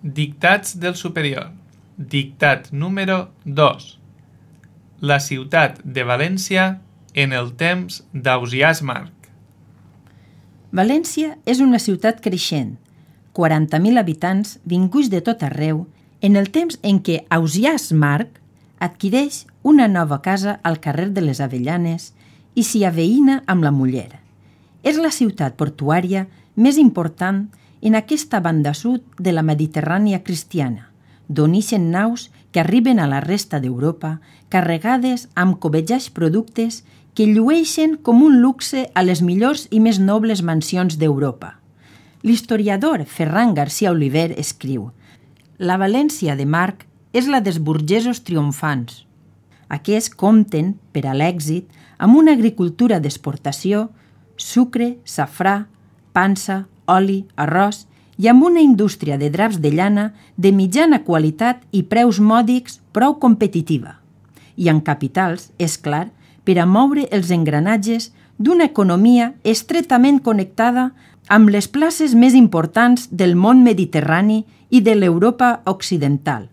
Dictats del superior. Dictat número 2. La ciutat de València en el temps d'Ausiàs Marc. València és una ciutat creixent, 40.000 habitants vinguts de tot arreu, en el temps en què Ausiàs Marc adquireix una nova casa al carrer de les Avellanes i s'hi aveïna amb la muller. És la ciutat portuària més important en aquesta banda sud de la Mediterrània cristiana, d'on ixen naus que arriben a la resta d'Europa carregades amb cobejats productes que llueixen com un luxe a les millors i més nobles mansions d'Europa. L'historiador Ferran García Oliver escriu: «La València de Marc és la dels burgesos triomfants. Aquests compten, per a l'èxit, amb una agricultura d'exportació, sucre, safrà, pansa, oli, arròs i amb una indústria de draps de llana de mitjana qualitat i preus mòdics prou competitiva. I en capitals, és clar, per a moure els engranatges d'una economia estretament connectada amb les places més importants del món mediterrani i de l'Europa occidental,